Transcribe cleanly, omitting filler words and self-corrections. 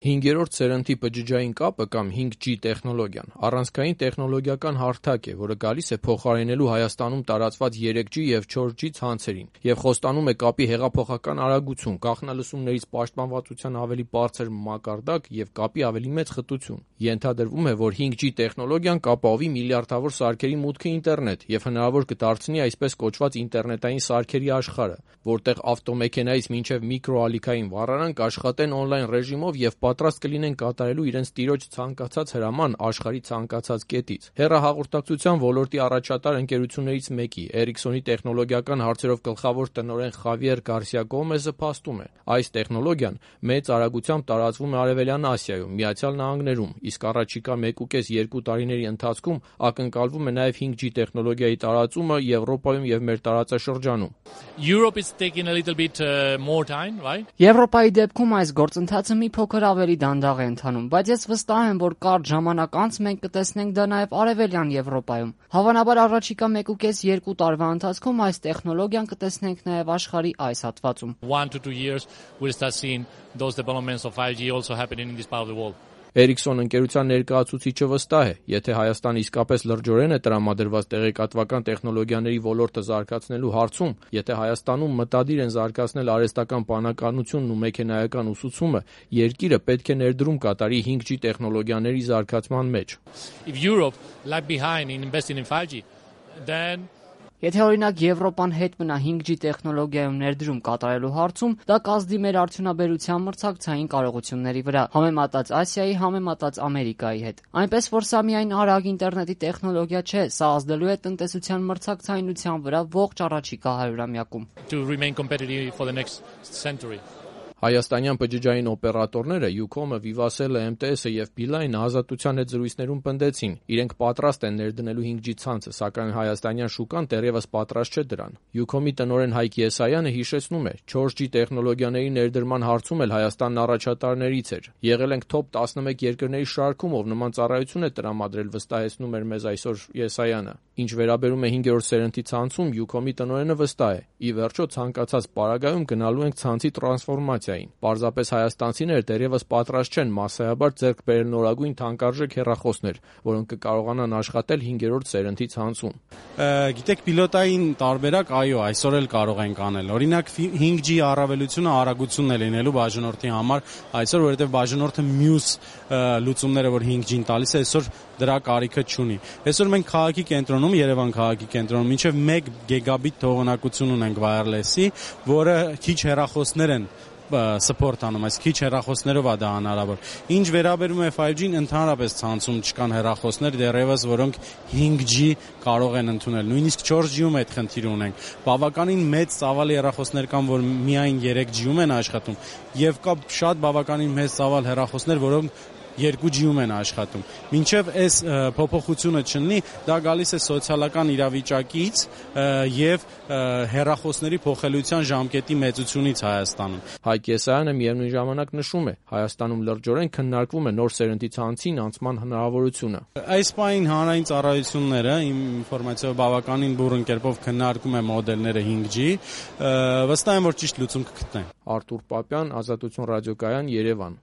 5-րդ սերնդի բջջային կապը կամ 5G տեխնոլոգիան առանցքային տեխնոլոգիական հարթակ է, որը գալիս է փոխարինելու Հայաստանում տարածված 3G և 4G ցանցերին և խոստանում է կապի հեղափոխական արագություն, կանխալսումներից պաշտպանվածության ավելի բարձր մակարդակ և կապի ավելի մեծ խտություն։ Ենթադրվում է, որ 5G տեխնոլոգիան կապահովի միլիարդավոր սարքերի մուտքը ինտերնետ և հնարավոր կդարձնի այսպես կոչված ինտերնետային սարքերի աշխարհը, որտեղ ավտոմեքենայից մինչև միկրոալիքային վառարան կաշխատեն օնլայն ռեժիմով և պատրաստ կլինեն կատարելու իրենց տիրոջ ցանկացած հրաման աշխարհի ցանկացած կետից։ Հեռահաղորդակցության ոլորտի առաջատար ընկերություններից մեկի Ericsson-ի տեխնոլոգիական հարցերով գլխավոր տնօրեն Խավիեր Գարսիա Գոմեզը փաստում է. այս տեխնոլոգիան մեծ արագությամբ տարածվում է Արևելյան Ասիայում, Միացյալ Նահանգներում, իսկ առաջիկա 1.5-2 տարիների ընթացքում ակնկալվում է նաև 5G տեխնոլոգիայի տարածումը Եվրոպայում և մեր տարածաշրջանում։ Եվրոպայի դեպքում այս գործընթացը մի փոքր ավելի դանդաղ է ընթանում, բայց ես վստահ եմ, որ կարճ ժամանակ անց մենք կտեսնենք դա նաև Արևելյան Եվրոպայում։ Հավանաբար առաջիկա 1.5-2 տարվա ընթացքում այս տեխնոլոգիան կտեսնենք նաև աշխարհի այս հատվածում։ 1 to 2 years we'll start seeing those developments of 5G also happening in this part of the world. Ericsson ընկերության ներկայացուցիչը վստահ է, եթե Հայաստանը իսկապես լրջորեն է տրամադրված տեղեկատվական տեխնոլոգիաների ոլորտը զարգացնելու հարցում, եթե Հայաստանում մտադիր են զարգացնել արհեստական բանականությունն ու մեքենայական ուսուցումը, երկիրը պետք է ներդրում կատարի 5G տեխնոլոգիաների զարգացման մեջ։ If Europe lag behind in investing in 5G, then Եթե օրինակ Եվրոպան հետ մնա 5G տեխնոլոգիայում ներդրում կատարելու հարցում, դա կազդի մեր արդյունաբերության մրցակցային կարողությունների վրա, համեմատած Ասիայի, համեմատած Ամերիկայի հետ։ Այնպես որ սա միայն արագ ինտերնետի տեխնոլոգիա չէ, սա ազդելու է տնտեսության մրցակցայնության վրա ողջ առաջիկա 100-ամյակում։ To remain competitive for the next century. Հայաստանյան բջջային օպերատորները Ucom-ը, Vivatel-ը, MTS-ը և Beeline-ը Ազատության հետ զրույցներում պնդեցին, իրենք պատրաստ են ներդնելու 5G ցանցը, սակայն հայաստանյան շուկան դեռևս պատրաստ չէ դրան։ Ucom-ի տնօրեն Հայկ Եսայանը հիշեցնում է, 4G տեխնոլոգիաների ներդրման հարցում էլ Հայաստանն առաջատարներից էր։ Եղել ենք top 11 երկրների շարքում, ով նման ծառայություն է տրամադրել, վստահեցնում էր մեզ այսօր Եսայանը։ Ինչ վերաբերում է 5-րդ սերնդի ցանցում, Ucom-ի տնօրենը վստահ է։ Ի վերջո ցանկացած պարագայում գնալու ենք ցանցի տրանսֆորմացիային։ Պարզապես հայաստանցիները դեռևս պատրաստ չեն մասսայաբար ձեռք բերել նորագույն թանկարժեք հեռախոսներ, որոնք կկարողանան աշխատել 5-րդ սերնդի ցանցում։ Գիտեք, պիլոտային տարբերակ, այո, այսօր էլ կարող ենք անել։ Օրինակ 5G առավելությունը արագությունն է լինելու բաժանորդի համար, այսօր որովհետև բաժանորդը մյուս լուծումները, որ 5G-ն տալիս է, այսօր դրա կարիքը չունի։ Այսօր մենք քաղաքի կենտրոնում, Երևան քաղաքի կենտրոնում մինչև 1 գիգաբիտ թողունակություն ունենք wireless-ի, որը քիչ հեռախոսներ են support անում, այս քիչ հեռախոսներով է դա հնարավոր։ Ինչ վերաբերում է 5G-ին, ընդհանրապես ցանցում չկան հեռախոսներ դեռևս, որոնք 5G կարող են ընդունել։ Նույնիսկ 4G-ում այդ խնդիրը ունենք։ Բավականին մեծ ծավալի հեռախոսներ կան, որ միայն 3G-ում են աշխատում, եւ կա շատ բավականին մեծ ծավալ հեռախոսներ, որոնք 2G-ում են աշխատում։ Մինչև այս փոփոխությունը չլինի, դա գալիս է սոցիալական իրավիճակից եւ հեռախոսների փոխելիության ժամկետի մեծությունից Հայաստանում։ Հայկ Եսայանը միևնույն ժամանակ նշում է, Հայաստանում լրջորեն քննարկվում է նոր սերնդի ցանցին անցման հնարավորությունը։ Այս պահին հանրային ծառայությունները իմ ինֆորմացիայով բավականին բուռն կերպով քննարկում է մոդելները 5G, վստահ եմ, որ ճիշտ լուծում կգտնեն։ Արթուր Պապյան, Ազատություն ռադիոկայան, Երևան։